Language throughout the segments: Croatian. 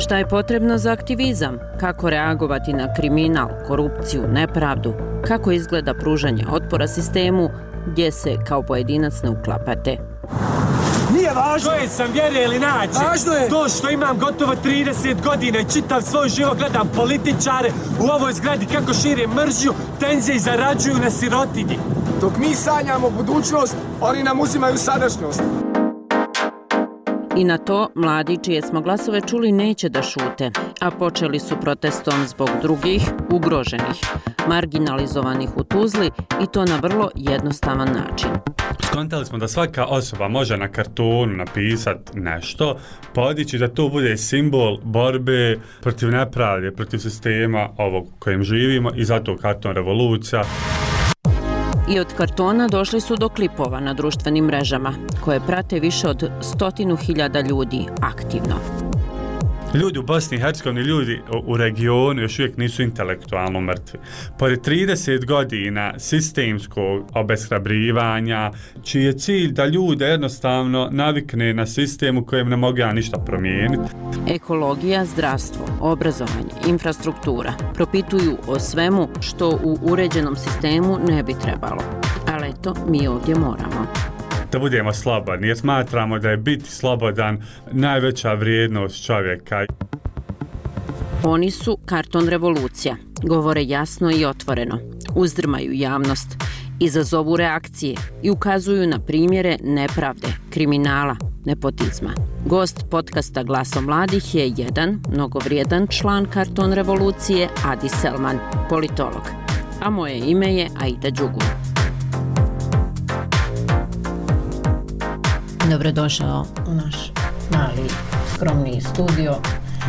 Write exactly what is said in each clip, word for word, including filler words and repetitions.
Šta je potrebno za aktivizam? Kako reagovati na kriminal, korupciju, nepravdu? Kako izgleda pružanje otpora sistemu gdje se kao pojedinac ne uklapate? Nije važno. Koje sam vjere ili nađe. Važno je. To što imam gotovo trideset godina i čitav svoj život gledam političare u ovoj zgradi kako šire mržnju, tenzije i zarađuju na sirotinji. Dok mi sanjamo budućnost, oni nam uzimaju sadašnjost. I na to mladi čije smo glasove čuli neće da šute, a počeli su protestom zbog drugih, ugroženih, marginalizovanih u Tuzli i to na vrlo jednostavan način. Skontali smo da svaka osoba može na kartonu napisati nešto, podići da to bude simbol borbe protiv nepravde, protiv sistema ovog kojim živimo i zato karton revolucija. I od kartona došli su do klipova na društvenim mrežama, koje prate više od stotinu hiljada ljudi aktivno. Ljudi u Bosni i Hercegovini, ljudi u regionu još uvijek nisu intelektualno mrtvi. Pored trideset godina sistemskog obeshrabrivanja, čiji je cilj da ljude jednostavno navikne na sistem u kojem ne mogu ja ništa promijeniti. Ekologija, zdravstvo, obrazovanje, infrastruktura propituju o svemu što u uređenom sistemu ne bi trebalo. Ali eto, mi ovdje moramo. Da budemo slobodni, jer smatramo da je biti slobodan najveća vrijednost čovjeka. Oni su karton revolucija, govore jasno i otvoreno, uzdrmaju javnost, izazovu reakcije i ukazuju na primjere nepravde, kriminala, nepotizma. Gost podcasta Glasom mladih je jedan mnogovrijedan član karton revolucije, Adi Selman, politolog. A moje ime je Aida Đugun. Dobrodošao u naš mali, skromni studio.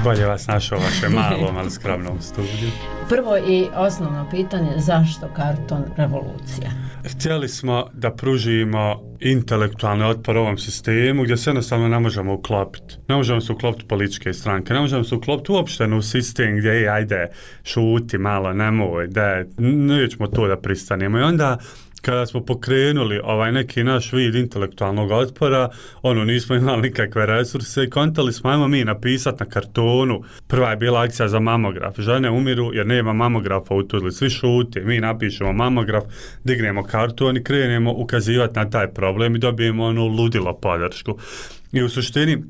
Bolje vas našao vašem malom, ali skromnom studiju. Prvo i osnovno pitanje, zašto karton revolucija? Htjeli smo da pružimo intelektualni otpor ovom sistemu gdje se jednostavno ne možemo uklopiti. Ne možemo se uklopiti političke stranke, ne možemo se uklopiti uopšte u sistem gdje je, ajde, šuti malo, nemoj, da nećemo to da pristanemo. I onda kada smo pokrenuli ovaj neki naš vid intelektualnog otpora, ono, nismo imali nikakve resurse i kontali smo, ajmo mi napisati na kartonu. Prva je bila akcija za mamograf. Žene umiru jer nema mamografa u Tuzli. Svi šute, mi napišemo mamograf, dignemo karton i krenemo ukazivati na taj problem i dobijemo onu ludilo podršku. I u suštini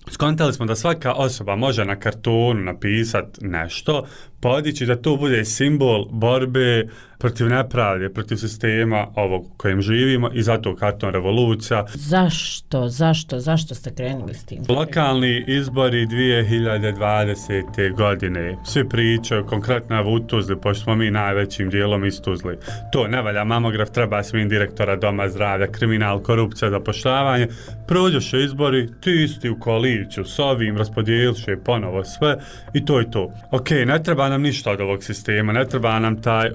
skontali smo da svaka osoba može na kartonu napisati nešto, podići da to bude simbol borbe protiv nepravde, protiv sistema ovog u kojem živimo i zato karton revolucija. Zašto, zašto, zašto ste krenuli s tim? Lokalni izbori dvije hiljade dvadesete. godine. Svi pričaju, konkretno u Tuzli, pošto smo mi najvećim dijelom iz Tuzli. To ne valja, mamograf, treba svim direktora doma zdravlja, kriminal, korupcija, zapošljavanje. Prođoše izbori, ti isti u koaliciju s ovim, raspodijeliše ponovo sve i to je to. Ok, ne treba nam ništa od ovog sistema, ne treba nam taj,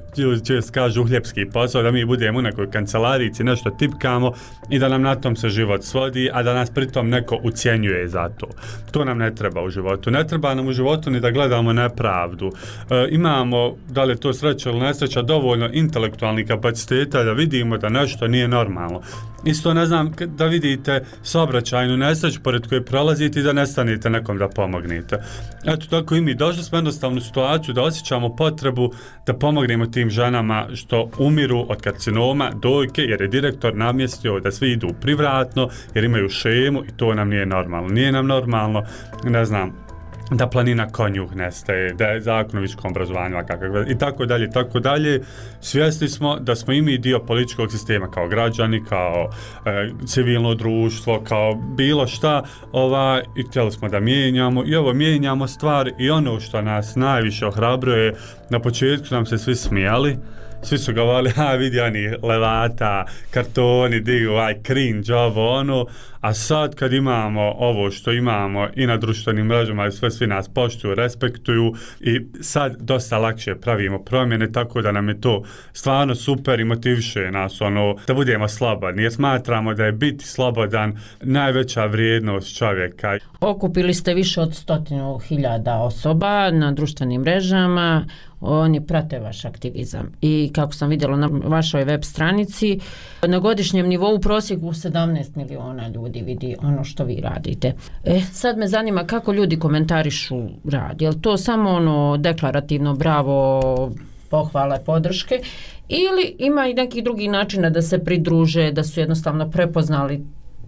čest kažu, uhljepski posao, da mi budemo u nekoj kancelarici, nešto tipkamo i da nam na tom se život svodi, a da nas pritom neko ucjenjuje za to. To nam ne treba u životu. Ne treba nam u životu ni da gledamo nepravdu. E, imamo, da li je to sreća ili nesreća, dovoljno intelektualnih kapaciteta da vidimo da nešto nije normalno. Isto ne znam, da vidite saobraćajnu nesreću pored koje prolazite i da ne stanete nekom da pomognete. Eto, tako i mi došli smo jednostavnu situaciju da osjećamo potrebu da pomognemo tim ženama što umiru od karcinoma dojke, jer je direktor namjestio da svi idu privratno, jer imaju šemu i to nam nije normalno. Nije nam normalno, ne znam, da planina konjuh nestaje, da je zakon o visokom obrazovanju i tako dalje, tako dalje. Svjesni smo da smo i mi dio političkog sistema kao građani, kao e, civilno društvo, kao bilo šta, ovaj, i htjeli smo da mijenjamo i ovo mijenjamo stvari i ono što nas najviše ohrabruje, na početku nam se svi smijali. Svi su govorili, a vidi oni levata, kartoni, digu, aj cringe, ovo, ono, a sad kad imamo ovo što imamo i na društvenim mrežama i sve, svi nas poštuju, respektuju i sad dosta lakše pravimo promjene, tako da nam je to stvarno super i motiviše nas, ono, da budemo slobodni, jer smatramo da je biti slobodan najveća vrijednost čovjeka. Okupili ste više od stotinu hiljada osoba na društvenim mrežama, oni prate vaš aktivizam. I kako sam vidjela na vašoj web stranici, na godišnjem nivou u prosjeku sedamnaest miliona ljudi vidi ono što vi radite. E, sad me zanima kako ljudi komentarišu rad. Je li to samo ono deklarativno bravo, pohvale, podrške, ili ima i neki drugi načina da se pridruže, da su jednostavno prepoznali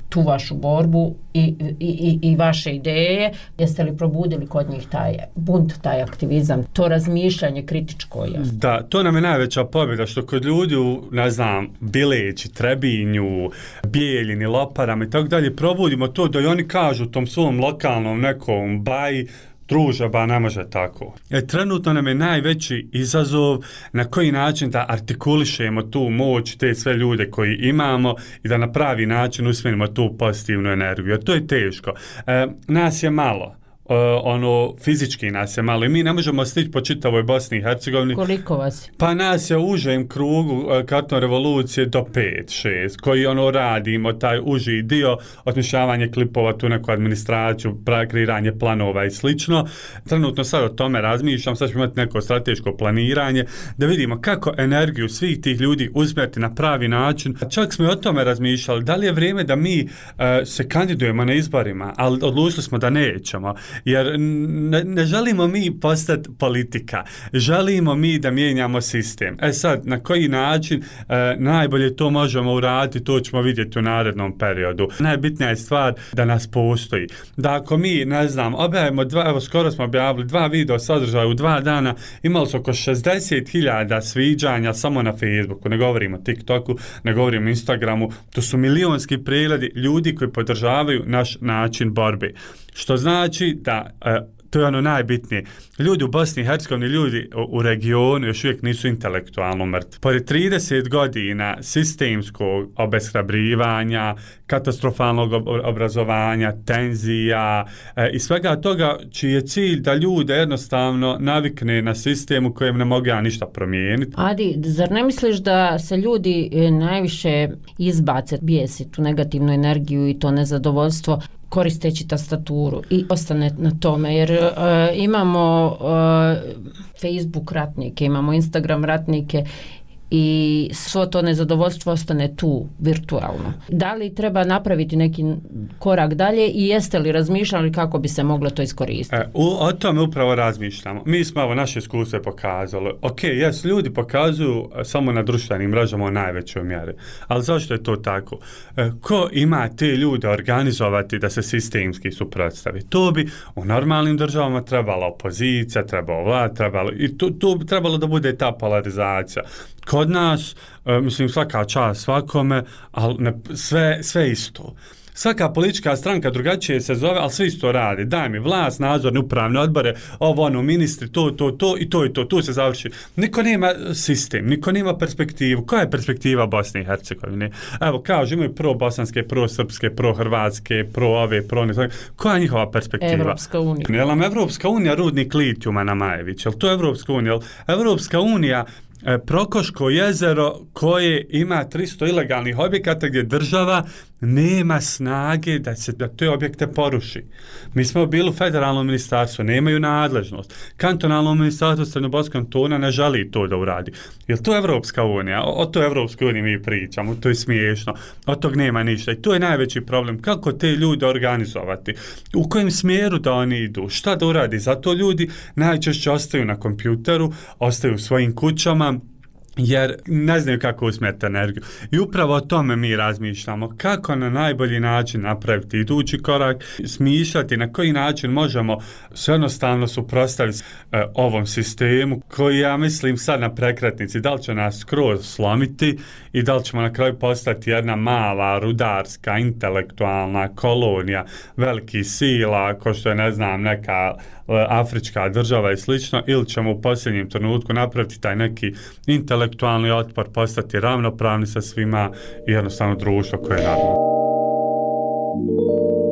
tu vašu borbu i, i, i, i vaše ideje? Jeste li probudili kod njih taj bunt, taj aktivizam, to razmišljanje kritičko? Jasno? Da, to nam je najveća pobjeda, što kod ljudi u, ne znam, Bileći, Trebinju, Bijeljini, Loparama i tako dalje, probudimo to da i oni kažu tom svom lokalnom nekom baji, druže, ba ne može tako. E, trenutno nam je najveći izazov na koji način da artikulišemo tu moć, te sve ljude koji imamo i da na pravi način usmjerimo tu pozitivnu energiju. Jer to je teško. E, nas je malo. Uh, ono, fizički nas je malo i mi ne možemo stići po čitavoj Bosni i Hercegovini. Koliko vas? Pa nas je u užem krugu uh, Karton revolucije do pet šest, koji ono radimo, taj uži dio, osmišljavanje klipova, tu neku administraciju, kreiranje planova i slično. Trenutno sad o tome razmišljam, sad ćemo imati neko strateško planiranje, da vidimo kako energiju svih tih ljudi usmjeriti na pravi način. Čak smo i o tome razmišljali, da li je vrijeme da mi uh, se kandidujemo na izborima, ali odlučili smo da nećemo. Jer ne, ne želimo mi postati politika, želimo mi da mijenjamo sistem. E sad, na koji način e, najbolje to možemo uraditi, to ćemo vidjeti u narednom periodu. Najbitnija je stvar da nas postoji. Da ako mi, ne znam, objavimo dva, evo skoro smo objavili dva video sadržaja u dva dana, imali su oko šezdeset hiljada sviđanja samo na Facebooku, ne govorimo o TikToku, ne govorimo o Instagramu, to su milionski pregledi ljudi koji podržavaju naš način borbe. Što znači da, e, to je ono najbitnije, ljudi u Bosni i Hercegovini, ljudi u, u regionu još uvijek nisu intelektualno mrtvi. Pored trideset godina sistemskog obeshrabrivanja, katastrofalnog obrazovanja, tenzija e, i svega toga, čiji je cilj da ljude jednostavno navikne na sistem u kojem ne mogu ja ništa promijeniti. Adi, zar ne misliš da se ljudi najviše izbace, bijesi tu negativnu energiju i to nezadovoljstvo koristeći tastaturu i ostane na tome, jer uh, imamo uh, Facebook ratnike, imamo Instagram ratnike i svo to nezadovoljstvo ostane tu virtualno. Da li treba napraviti neki korak dalje i jeste li razmišljali kako bi se moglo to iskoristiti? E, u, o tome upravo razmišljamo. Mi smo ovo naše iskustvo pokazali. Ok, jes, ljudi pokazuju samo na društvenim mrežama u najvećoj mjeri. Ali zašto je to tako? E, ko ima te ljude organizovati da se sistemski suprotstavi? To bi u normalnim državama trebala opozicija, trebalo vlad, trebalo, i to, to bi trebalo da bude ta polarizacija. Kod nas, e, mislim, svaka čast svakome, ali ne, sve, sve isto. Svaka politička stranka drugačije se zove, ali sve isto radi. Daj mi vlast, nadzorne upravne odbore, ovo, ono, ministri, to, to, to i to i to, tu se završi. Niko nema sistem, niko nema perspektivu. Koja je perspektiva Bosne i Hercegovine? Evo, kažu, imaju pro-bosanske, pro-srpske, pro-hrvatske, pro-ove, pro-ne. Koja je njihova perspektiva? Evropska unija. Je li nam Evropska unija rudnik litijuma na Majević? Je li to Evropska unija? Je li Evropska unija Prokoško jezero koje ima tristo ilegalnih objekata gdje država nema snage da se da te objekte poruši. Mi smo bili u federalnom ministarstvu, nemaju nadležnost. Kantonalno ministarstvo Srednjoboskog kantona ne želi to da uradi. Jel to Evropska unija? O, o to Evropskoj uniji mi pričamo, to je smiješno. Od tog nema ništa. I to je najveći problem. Kako te ljude organizovati? U kojem smjeru da oni idu? Šta da uradi? Zato ljudi najčešće ostaju na kompjuteru, ostaju u svojim kućama, jer ne znaju kako usmjeriti energiju. I upravo o tome mi razmišljamo. Kako na najbolji način napraviti idući korak, smišljati na koji način možemo se jednostavno suprotstaviti e, ovom sistemu koji, ja mislim, sad na prekretnici, da li će nas skroz slomiti i da li ćemo na kraju postati jedna mala, rudarska, intelektualna kolonija velikih sila, ko što je, ne znam, neka afrička država i slično, ili ćemo u posljednjem trenutku napraviti taj neki intelektualni otpor, postati ravnopravni sa svima i jednostavno društvo koje je radno.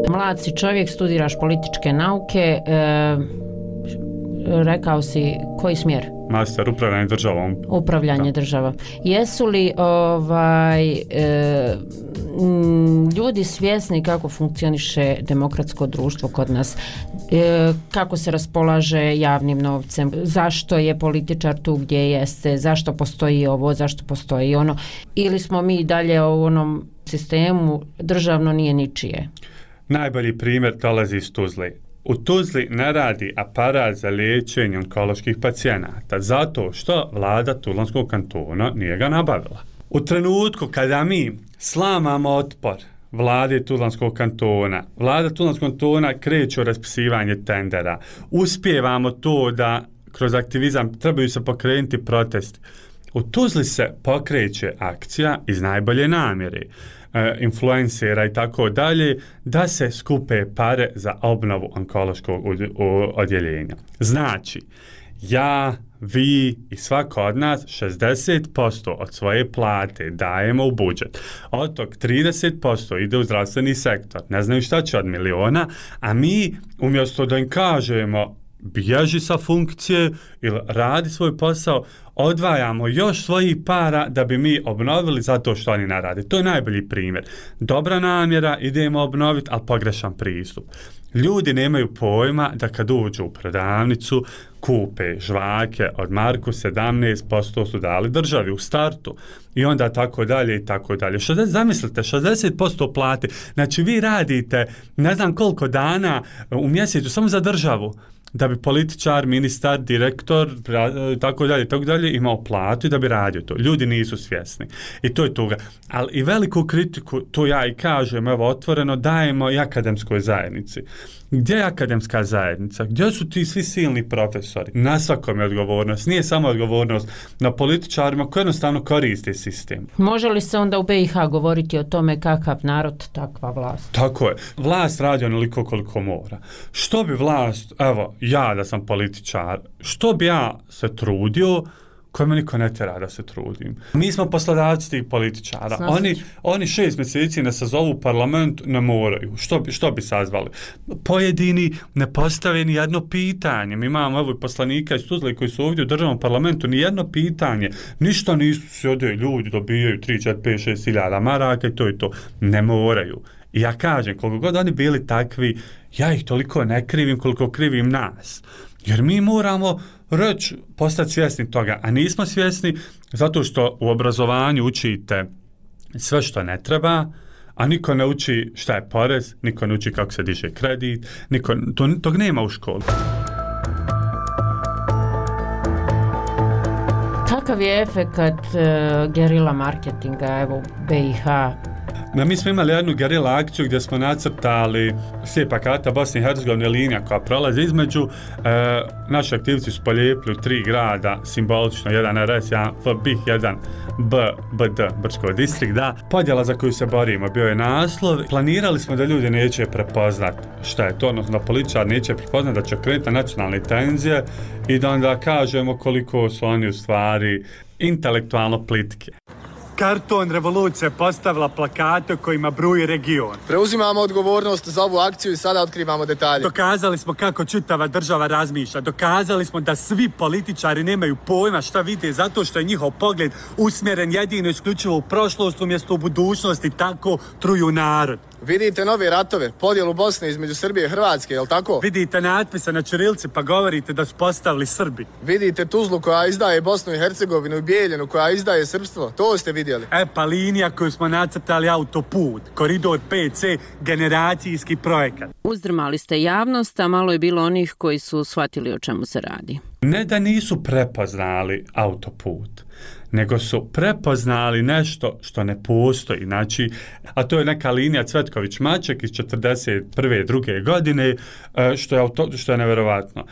Mlad si čovjek, studiraš političke nauke, e, rekao si koji smjer? master upravljanje državom. Upravljanje da. država. Jesu li ovaj, e, m, ljudi svjesni kako funkcioniše demokratsko društvo kod nas? E, kako se raspolaže javnim novcem? Zašto je političar tu gdje jeste? Zašto postoji ovo? Zašto postoji ono? Ili smo mi dalje u onom sistemu državno nije ničije? Najbolji primjer dolazi iz Tuzle. U Tuzli ne radi aparat za liječenje onkoloških pacijenata zato što vlada Tuzlanskog kantona nije ga nabavila. U trenutku kada mi slamamo otpor vlade Tuzlanskog kantona, vlada Tuzlanskog kantona kreće u raspisivanje tendera, uspijevamo to da kroz aktivizam trebaju se pokrenuti protesti. U Tuzli se pokreće akcija iz najbolje namjere, e, influencera i tako dalje, da se skupe pare za obnovu onkološkog odjeljenja. Znači, ja, vi i svako od nas šezdeset posto od svoje plate dajemo u budžet. Od tog trideset posto ide u zdravstveni sektor. Ne znaju šta će od miliona, a mi umjesto da im kažemo bježi sa funkcije ili radi svoj posao, odvajamo još svojih para da bi mi obnovili zato što oni ne rade. To je najbolji primjer. Dobra namjera, idemo obnoviti, ali pogrešan pristup. Ljudi nemaju pojma da kad uđu u prodavnicu, kupe žvake od marku, sedamnaest posto su dali državi u startu i onda tako dalje i tako dalje. šezdeset, zamislite, šezdeset posto plate. Znači vi radite ne znam koliko dana u mjesecu samo za državu, da bi političar, ministar, direktor, tako dalje, tako dalje, imao platu i da bi radio to. Ljudi nisu svjesni. I to je toga. Ali i veliku kritiku, to ja i kažem, evo, otvoreno, dajemo i akademskoj zajednici. Gdje je akademska zajednica? Gdje su ti svi silni profesori? Na svakom je odgovornost. Nije samo odgovornost na političarima koji jednostavno koriste sistem. Može li se onda u B i H govoriti o tome kakav narod, takva vlast? Tako je. Vlast radi onoliko koliko mora. Što bi vlast, evo, ja da sam političar, što bi ja se trudio, koje me niko ne tjera da se trudim. Mi smo poslodavci tih političara. Oni, oni šest mjeseci ne sazovu u parlament, ne moraju. Što bi, što bi sazvali? Pojedini ne postave ni jedno pitanje. Mi imamo evo poslanika iz Tuzle koji su ovdje u državnom parlamentu, ni jedno pitanje. Ništa nisu se ovdje ljudi dobijaju tri, četiri, pet, šest hiljada maraka i to je to. Ne moraju. I ja kažem, koliko god oni bili takvi, ja ih toliko ne krivim koliko krivim nas. Jer mi moramo reći, postati svjesni toga, a nismo svjesni zato što u obrazovanju učite sve što ne treba, a niko ne uči šta je porez, niko ne uči kako se diže kredit, niko, to, tog nema u školi. Kakav je efekat uh, gerila marketinga, evo B i H? No, mi smo imali jednu gerila akciju gdje smo nacrtali slijepa karta Bosne i Hercegovine, linija koja prolazi između. E, naši aktivci su polijepili u tri grada, simbolično, jedan R S, jedan F B I H, jedan B, B D, Brčko distrikt, da. Podjela za koju se borimo bio je naslov. Planirali smo da ljudi neće prepoznat šta je to, odnosno da političar neće prepoznat da će krenuti nacionalne tenzije i da onda kažemo koliko su oni u stvari intelektualno plitke. Karton revolucija postavila plakate kojima bruji region. Preuzimamo odgovornost za ovu akciju i sada otkrivamo detalje. Dokazali smo kako čitava država razmišlja. Dokazali smo da svi političari nemaju pojma šta vide zato što je njihov pogled usmjeren jedino isključivo u prošlost umjesto u budućnost i tako truju narod. Vidite nove ratove, podjelu Bosne između Srbije i Hrvatske, jel tako? Vidite natpise na ćirilci pa govorite da su postavili Srbi. Vidite Tuzlu koja izdaje Bosnu i Hercegovinu i Bijeljinu koja izdaje srpstvo, to ste vidjeli. E pa linija koju smo nacrtali autoput, koridor P C, generacijski projekat. Uzdrmali ste javnost, a malo je bilo onih koji su shvatili o čemu se radi. Ne da nisu prepoznali autoput, nego su prepoznali nešto što ne postoji. Znači, a to je neka linija Cvetković-Maček iz četrdeset prve druge godine, što je, auto, što je nevjerovatno.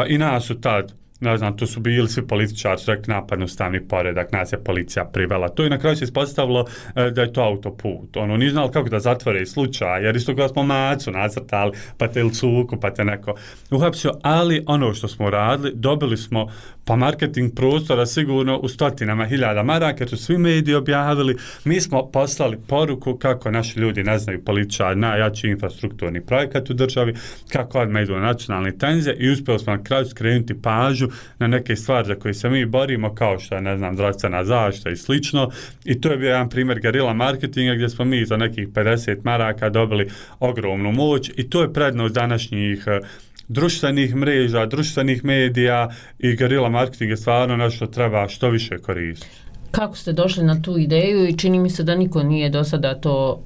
I nas su tad, ne znam, to su bili svi političari, su rekli napad na ustavni poredak, nas je policija privela. To i na kraju se ispostavilo da je to autoput. Ono, nije znali kako da zatvore slučaj, jer isto kada smo Macu nacrtali, pa te Ilcuku, pa te neko uhapsio, ali ono što smo radili, dobili smo pa marketing prostora sigurno u stotinama hiljada maraka, jer su svi mediji objavili. Mi smo poslali poruku kako naši ljudi ne znaju političari, najjači infrastrukturni projekat u državi, kako odmah idu na nacionalne tenzije i uspjeli smo na kraju skrenuti pažnju nađu na neke stvari za koje se mi borimo, kao što je, ne znam, zdravstvena zaštita i slično. I to je bio jedan primjer gerila marketinga gdje smo mi za nekih pedeset maraka dobili ogromnu moć i to je prednost današnjih društvenih mreža, društvenih medija i gerila marketing je stvarno nešto treba što više koristiti. Kako ste došli na tu ideju i čini mi se da niko nije do sada to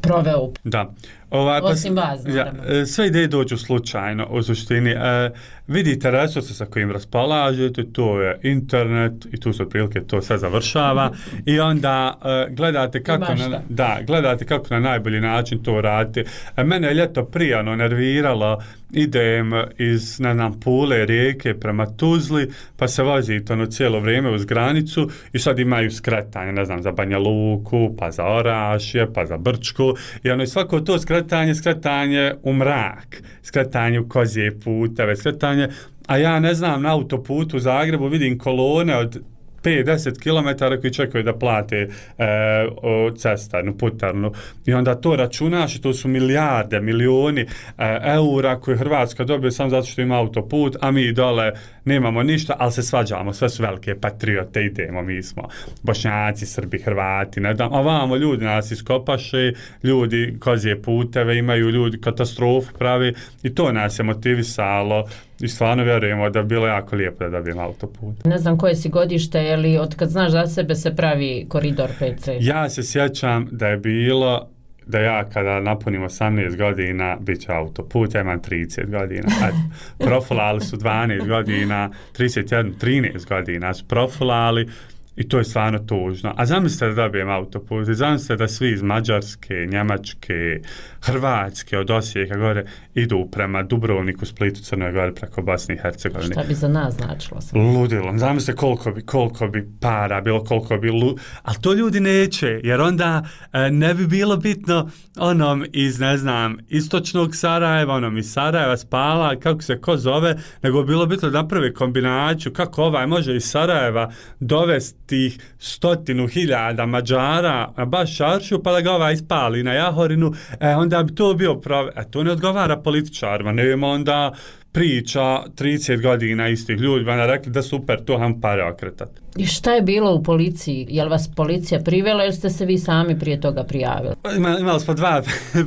proveo? Da. Ovaj, Osim vas, ja, sve ideje dođu slučajno, u suštini. E, vidite resurse sa kojim raspolažete, to je internet i tu se otprilike to sve završava i onda e, gledate kako na, da, gledate kako na najbolji način to radite. E, mene je ljeto prijano nerviralo, idem iz, ne znam, Pule, Rijeke prema Tuzli, pa se vozite ono cijelo vrijeme uz granicu i sad imaju skretanje, ne znam, za Banja Luku, pa za Orašje, pa za Brčku i ono i svako to skretanje, skretanje u mrak, skretanje u kozije puteve, skretanje, a ja ne znam, na autoputu u Zagrebu vidim kolone od pet do deset kilometara koji čekaju da plate e, cestarnu, putarnu. I onda to računaš i to su milijarde, milioni e, eura koje Hrvatska dobije samo zato što ima autoput, a mi dole nemamo ništa, ali se svađamo, sve su velike patriote, idemo, mi smo Bošnjaci, Srbi, Hrvati, ne znam, ovamo ljudi nas iskopaše, ljudi kozije puteve imaju, ljudi katastrofu pravi i to nas je motivisalo i stvarno vjerujemo da bi bilo jako lijepo da dobijem autoput. Ne znam koje si godište, je li od kad znaš za sebe se pravi koridor pet ce? Ja se sjećam da je bilo da ja kada napunim osamnaest godina bit će autoput, ja imam trideset godina. Profilali su dvanaest godina, trideset jedan, trinaest godina su profilali i to je stvarno tužno. A zamislite da dobijem autoput, zamislite da svi iz Mađarske, Njemačke, Hrvatske, od Osijeka gore idu prema Dubrovniku, Splitu, Crnoj Gori preko Bosne i Hercegovine. Šta bi za nas značilo? Ludilo. Zamislite koliko bi, koliko bi para bilo, koliko bi lu... Ali to ljudi neće, jer onda e, ne bi bilo bitno onom iz, ne znam, istočnog Sarajeva, onom iz Sarajeva, Spala, kako se ko zove, nego bi bilo bitno da napravi kombinaciju kako ovaj može iz Sarajeva dovesti tih stotinu hiljada Mađara na baš Šaršiju, pa da ga ovaj ispali na Jahorinu, e, onda bi to bio pravi. E, to ne odgovara političarima, nema onda priča trideset godina istih ljudi, onda rekli da super, to ham pare okretati. I šta je bilo u policiji? Je li vas policija privela ili ste se vi sami prije toga prijavili? Ima, imali smo dva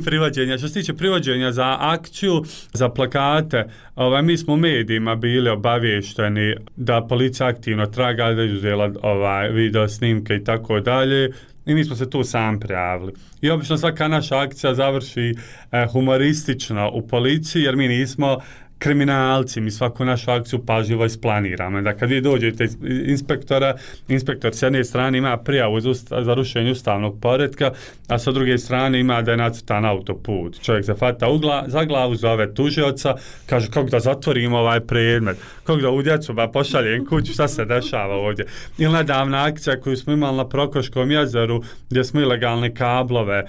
privođenja. Što se tiče privođenja za akciju, za plakate, ovaj, mi smo u medijima bili obavješteni da policija aktivno traga, da je uzela ovaj, video snimke i tako dalje. I mi smo se tu sam prijavili. I obično svaka naša akcija završi eh, humoristično u policiji, jer mi nismo kriminalci, mi svaku našu akciju pažljivo isplaniramo. Da kad vi dođete iz inspektora, inspektor s jedne strane ima prijavu za, usta, za rušenje ustavnog poretka, a sa druge strane ima da je nacrtan autoput. Čovjek se fata ugla, za glavu, zove tužioca, kaže kako da zatvorimo ovaj predmet, kako da u djecu ba pošaljem kuću, šta se dešava ovdje. Ili nedavna akcija koju smo imali na Prokoškom jezeru, gdje smo ilegalne kablove e,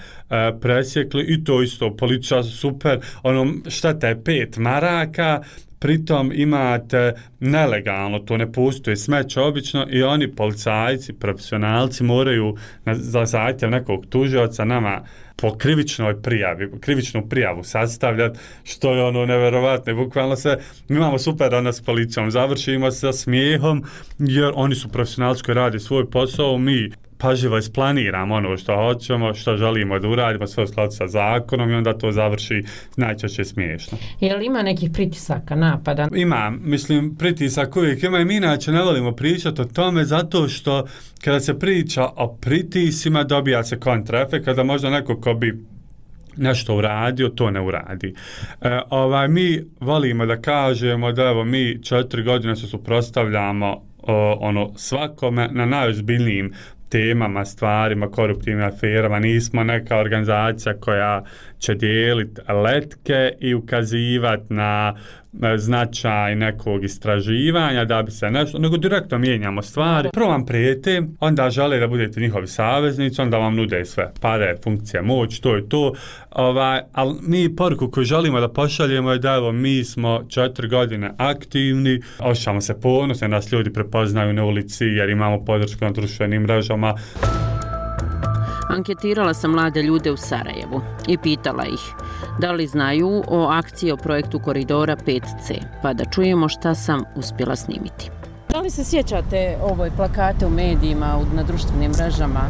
presjekli i to isto, policija super, ono, šteta je pet maraka, pritom imate nelegalno, to ne postoji smeće obično i oni policajci, profesionalci moraju na, za zahtjev nekog tužioca nama po krivičnoj prijavi, krivičnu prijavu sastavljati, što je ono neverovatno. Bukvalno se, mi imamo super danas s policijom, završimo sa smijehom jer oni su profesionalci koji radi svoj posao, mi pažljivo isplaniramo ono što hoćemo, što želimo da uradimo, sve u skladu sa zakonom i onda to završi najčešće smiješno. Je li ima nekih pritisaka, napada? Ima, mislim, pritisak uvijek ima i mi inače ne volimo pričati o tome zato što kada se priča o pritisima dobija se kontraefekt, kada možda neko ko bi nešto uradio, to ne uradi. E, ovaj, mi volimo da kažemo da evo mi četiri godine se suprotstavljamo ono svakome na najozbiljnijim temama, stvarima, koruptivnim aferama, nismo neka organizacija koja će dijeliti letke i ukazivati na značaj nekog istraživanja da bi se nešto, nego direktno mijenjamo stvari. Prvo vam prijete, onda žele da budete njihovi saveznici, onda vam nude sve pare, funkcije, moć, to je to. Ovaj, ali mi poruku koju želimo da pošaljemo je da evo mi smo četiri godine aktivni, osjećamo se ponosno, nas ljudi prepoznaju na ulici jer imamo podršku na društvenim mrežama. Anketirala sam mlade ljude u Sarajevu i pitala ih da li znaju o akciji o projektu Koridora pet ce, pa da čujemo šta sam uspjela snimiti. Da li se sjećate ovoj plakate u medijima, na društvenim mrežama?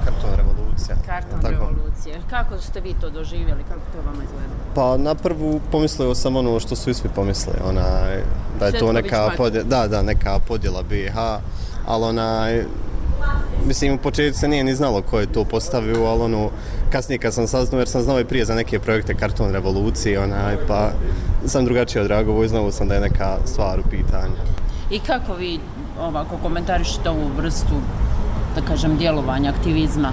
Karton revolucija. Karton revolucije. Kako ste vi to doživjeli? Kako to vama izgleda? Pa na prvu pomislio sam ono što su i svi pomislili, onaj, da je to neka podjela, da, da, neka podjela B i H, ali onaj, mislim, u početku se nije ni znalo ko je to postavio, ali ono, kasnije kad sam saznao, jer sam znao i prije za neke projekte Karton revolucije, onaj, pa sam drugačije odreagovao i znao sam da je neka stvar u pitanju. I kako vi ovako komentarišete ovu vrstu, da kažem, djelovanja, aktivizma?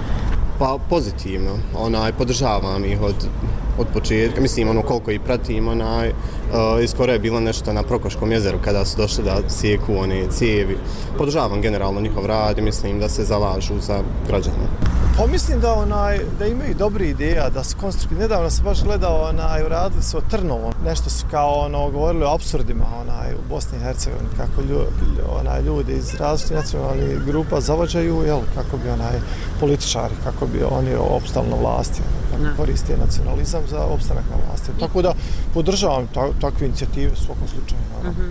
Pa pozitivno, onaj, podržavam ih od, od početka, mislim, ono, koliko ih pratim, onaj, uh, iskoro je bilo nešto na Prokoškom jezeru kada su došli da sjeku one cijevi. Podržavam generalno njihov rad i mislim da se zalažu za građane. Pa mislim da, onaj, da imaju dobri ideja, da su konstruktivni. Nedavno sam baš gledao, onaj, radili su o Trnovu, nešto su kao ono, govorili o apsurdima onaj, u Bosni i Hercegovini, kako lju, onaj, ljudi iz različitih nacionalnih grupa zavođaju, jel, kako bi onaj, političari, kako bi oni opstali na vlasti, kako no. koriste nacionalizam za opstanak na vlasti. Tako da podržavam ta, takve inicijative u svakom slučaju. Uh-huh.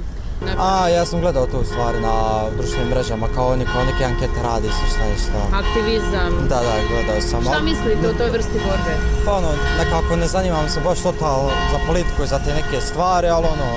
A, ja sam gledao to u stvari na društvenim mrežama, kao oni kao neke ankete radi su šta je šta. Aktivizam. Da, da, gledao sam. Šta mislite o toj vrsti borbe? Pa ono, nekako ne zanimam se baš totalno za politiku i za te neke stvari, ali ono,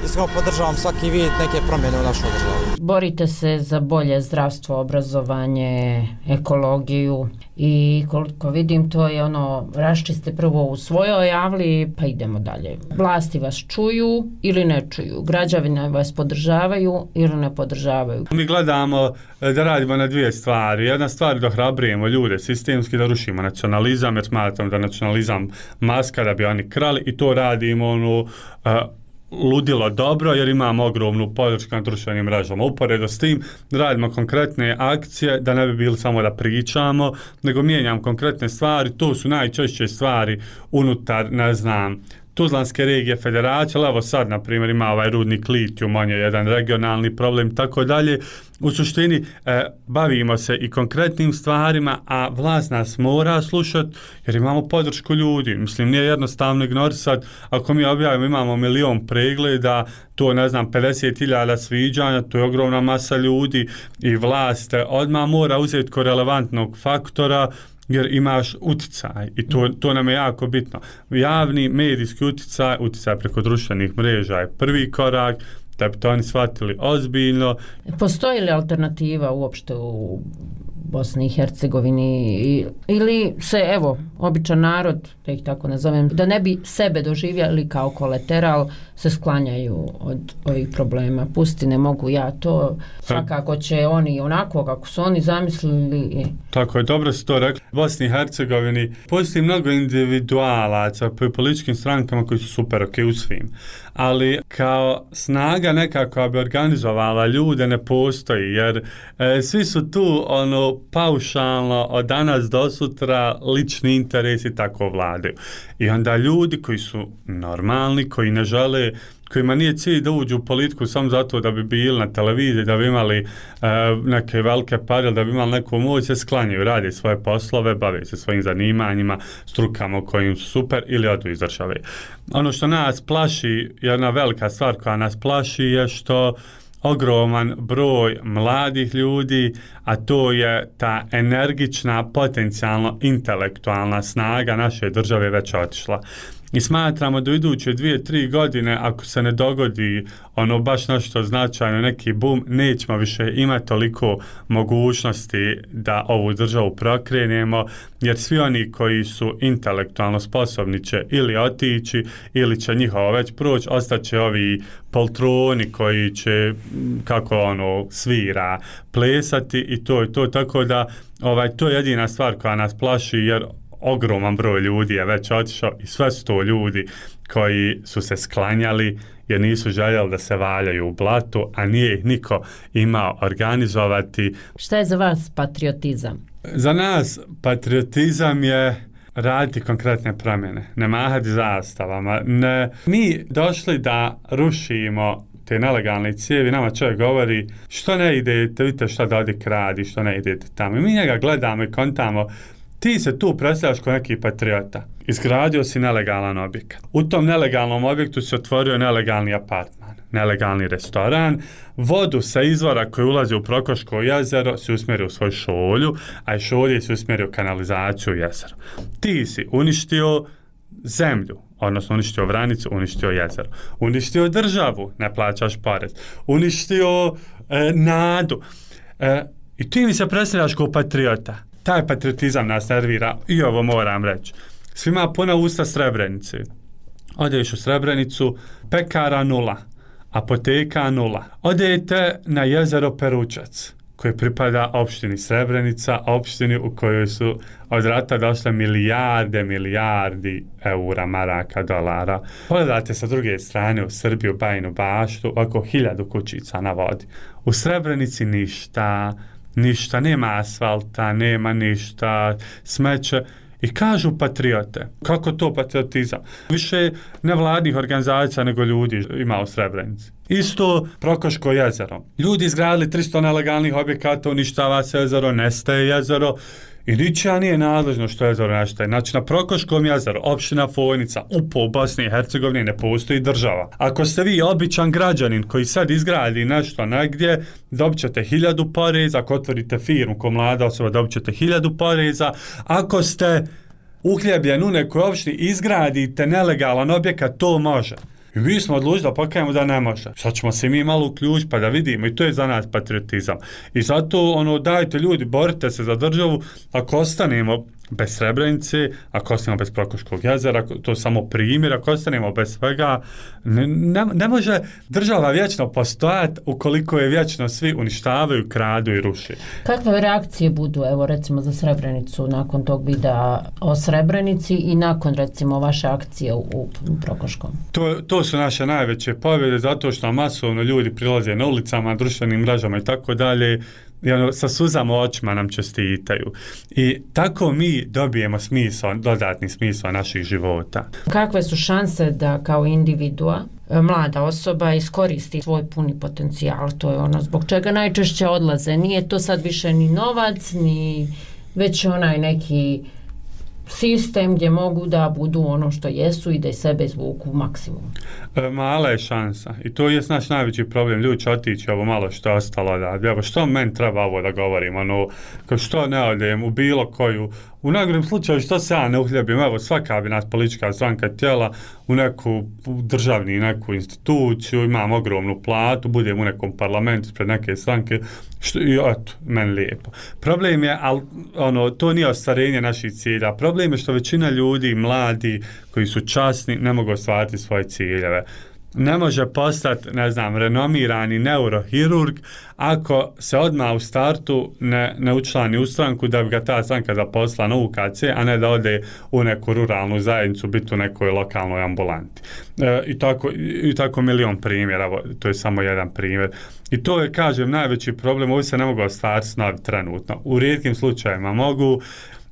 iskreno podržavam svaki vid neke promjene u našoj državi. Borite se za bolje zdravstvo, obrazovanje, ekologiju i koliko vidim to je ono, raščiste prvo u svojoj javli pa idemo dalje. Vlasti vas čuju ili ne čuju, građani vas podržavaju ili ne podržavaju. Mi gledamo da radimo na dvije stvari. Jedna stvar da hrabrujemo ljude sistemski, da rušimo nacionalizam, jer smatram da nacionalizam maska da bi oni krali i to radimo ono, uh, ludilo dobro jer imamo ogromnu podršku na društvenim mrežama. Uporedo s tim radimo konkretne akcije da ne bi bili samo da pričamo, nego mijenjam konkretne stvari. To su najčešće stvari unutar, ne znam, Tuzlanske regije federacije, ali evo sad, na primjer, ima ovaj rudnik litijum, on je jedan regionalni problem, tako dalje. U suštini, e, bavimo se i konkretnim stvarima, a vlast nas mora slušati, jer imamo podršku ljudi. Mislim, nije jednostavno ignorisati, ako mi objavimo, imamo milion pregleda, to, ne znam, pedeset hiljada sviđanja, to je ogromna masa ljudi i vlast odmah mora uzeti ko relevantnog faktora, jer imaš uticaj i to, to nam je jako bitno. Javni medijski uticaj, uticaj preko društvenih mreža je prvi korak, da bi to oni shvatili ozbiljno. Postoji li alternativa uopšte u Bosni i Hercegovini ili se, evo, običan narod, da ih tako nazovem, da ne bi sebe doživjeli kao kolateral, se sklanjaju od ovih problema. Pusti, ne mogu ja to, svakako će oni onako kako su oni zamislili. Tako je, dobro si to rekli. U Bosni i Hercegovini postoji mnogo individualaca po političkim strankama koji su super ok u svim, ali kao snaga nekako bi organizovala ljude ne postoji, jer e, svi su tu ono paušalno od danas do sutra lični interesi tako vladaju. I onda ljudi koji su normalni, koji ne žele, kojima nije cilj da uđu u politiku samo zato da bi bili na televiziji, da bi imali e, neke velike pare, da bi imali neku moć, se sklanjaju, rade svoje poslove, bave se svojim zanimanjima, strukama u kojim su super ili odu iz države. Ono što nas plaši, jedna velika stvar koja nas plaši je što ogroman broj mladih ljudi, a to je ta energična, potencijalno intelektualna snaga naše države već otišla. I smatramo da u iduće dvije, tri godine, ako se ne dogodi ono baš nešto značajno, neki boom, nećemo više imati toliko mogućnosti da ovu državu prokrenemo, jer svi oni koji su intelektualno sposobni će ili otići, ili će njihovo već proći, ostaće ovi poltroni koji će, kako ono, svira, plesati i to je to, tako da ovaj, to je jedina stvar koja nas plaši, jer ogroman broj ljudi je već otišao i sve su to ljudi koji su se sklanjali jer nisu željeli da se valjaju u blatu, a nije ih niko imao organizovati. Šta je za vas patriotizam? Za nas patriotizam je raditi konkretne promjene, ne mahati zastavama. Ne, mi došli da rušimo te nelegalne cijevi, nama čovjek govori što ne idete, vidite šta Dodik radi, što ne idete tamo. I mi njega gledamo i kontamo, ti se tu predstavljaš kao neki patriota. Izgradio si nelegalan objekat. U tom nelegalnom objektu se otvorio nelegalni apartman, nelegalni restoran, vodu sa izvora koji ulazi u Prokoško jezero se usmjerio u svoju šolju, a i šolje se usmjerio u kanalizaciju u jezero. Ti si uništio zemlju, odnosno uništio Vranicu, uništio jezero, uništio državu, ne plaćaš porez, uništio e, nadu. E, I ti mi se predstavljaš kao patriota. Taj patriotizam nas nervira i ovo moram reći. Svima puna usta Srebrenice. Odeš u Srebrenicu, pekara nula, apoteka nula. Odete na jezero Peručac, koji pripada opštini Srebrenica, opštini u kojoj su od rata došle milijarde, milijardi eura, maraka, dolara. Pogledate sa druge strane u Srbiju, Bajinu Baštu, oko hiljadu kućica na vodi. U Srebrenici ništa, ništa, nema asfalta, nema ništa, smeće. I kažu patriote. Kako to patriotizam? Više nevladnih organizacija nego ljudi ima u Srebrenici. Isto Prokoško jezero. Ljudi izgradili tristo nelegalnih objekata, uništava se jezero, nestaje jezero i ničija nije nadležno što jezero nestaje. Znači na Prokoškom jezeru, opština Fojnica, upo u Bosni i Hercegovini ne postoji država. Ako ste vi običan građanin koji sad izgradi nešto negdje, dobit ćete hiljadu poreza, ako otvorite firmu ko mlada osoba, dobit ćete hiljadu poreza. Ako ste uhljebljen u nekoj opštini, izgradite nelegalan objekat, to može. I mi smo odlučili da pokajemo da ne može. Sad ćemo se mi malo uključiti pa da vidimo i to je za nas patriotizam. I zato ono, dajte ljudi, borite se za državu, ako ostanemo bez Srebrenice, ako ostanemo bez Prokoškog jezera, to je samo primjer, ako ostanemo bez svega, ne, ne, ne može država vječno postojati ukoliko je vječno svi uništavaju, kradu i ruši. Kakve reakcije budu, evo recimo za Srebrenicu nakon tog videa o Srebrenici i nakon recimo vaše akcije u, u Prokoškom? To, to su naše najveće pobjede zato što masovno ljudi prilaze na ulicama, društvenim mrežama i tako dalje. I ono, sa suzama očima nam čestitaju. I tako mi dobijemo smisao, dodatni smisao naših života. Kakve su šanse da kao individua, mlada osoba iskoristi svoj puni potencijal? To je ono zbog čega najčešće odlaze. Nije to sad više ni novac, ni već onaj neki sistem gdje mogu da budu ono što jesu i da i sebe izvuku maksimum. E, mala je šansa i to je naš najveći problem. Ljudi će otići ovo malo što je ostalo da, evo što meni treba ovo da govorim, ono, kao što ne odem u bilo koju, u najgorem slučaju što se ja ne uhljebim, evo svaka bi nas politička stranka tijela u neku državni neku instituciju, imam ogromnu platu, budem u nekom parlamentu pred neke stranke, što, i eto, meni lijepo. Problem je, al, ono, to nije ostvarenje naših cilja, problem je što većina ljudi, mladi, koji su časni, ne mogu ostvariti svoje ciljeve. Ne može postati, ne znam, renomirani neurohirurg ako se odmah u startu ne, ne učlani u stranku da bi ga ta stranka zaposlila na U K C, a ne da ode u neku ruralnu zajednicu, biti u nekoj lokalnoj ambulanti. E, i, tako, I tako milion primjera, to je samo jedan primjer. I to je, kažem, najveći problem, ovo se ne mogu ostvariti snovi trenutno. U rijetkim slučajevima mogu,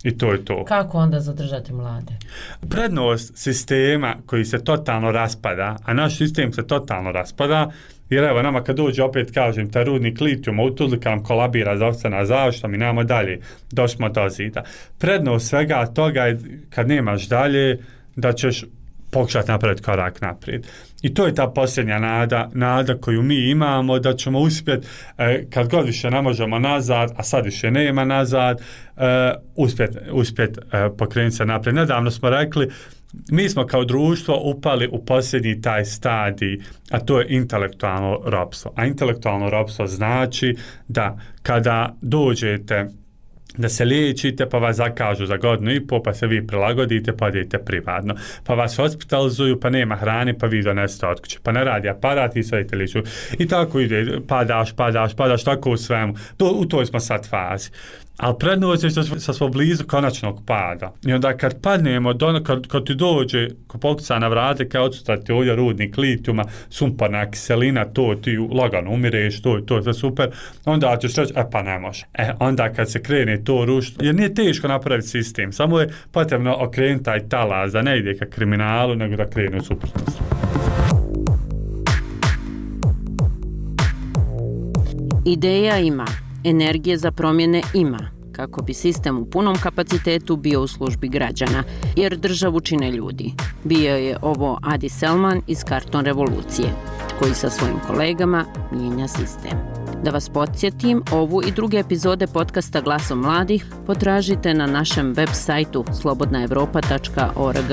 i to je to. Kako onda zadržati mlade? Prednost sistema koji se totalno raspada, a naš sistem se totalno raspada, jer evo nama kad dođe opet kažem taj rudnik litijuma u Tuzli kad nam kolabira zdravstvena zaštita, mi nemamo dalje, došli do zida. Prednost svega toga je kad nemaš dalje da ćeš pokušati napraviti korak naprijed. I to je ta posljednja nada, nada koju mi imamo da ćemo uspjeti, eh, kad god više ne možemo nazad, a sad više nema nazad, eh, uspjeti uspjet, eh, pokrenuti se naprijed. Nedavno smo rekli, mi smo kao društvo upali u posljednji taj stadij, a to je intelektualno ropstvo. A intelektualno ropstvo znači da kada dođete da se liječite, pa vas zakažu za godinu i pol, pa se vi prilagodite, pa idete privatno. Pa vas hospitalizuju, pa nema hrane, pa vi donesete od kuće. Pa ne radi aparat i sve liču. I tako ide, padaš, padaš, padaš, tako u svemu. To, u toj smo sad fazi. Ali prednost je što smo blizu konačnog pada. I onda kad padnemo, do, kad, kad ti dođe, ko pokuca na vrate, kao odsutrati ovdje rudnik litijuma, sumporna kiselina, to ti lagano umireš, to, to je sve super, onda ćeš reći, e pa ne može. E, onda kad se krene to rušiti, jer nije teško napraviti sistem, samo je potrebno okrenuti taj talas, da ne ide ka kriminalu, nego da krene u suprotnost. Ideja ima, energije za promjene ima, kako bi sistem u punom kapacitetu bio u službi građana, jer državu čine ljudi. Bio je ovo Adi Selman iz Karton revolucije, koji sa svojim kolegama mijenja sistem. Da vas podsjetim, ovu i druge epizode podcasta Glasom mladih potražite na našem web sajtu slobodna evropa tačka org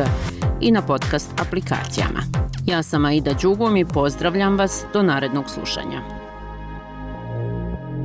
i na podcast aplikacijama. Ja sam Aida Đugum i pozdravljam vas do narednog slušanja.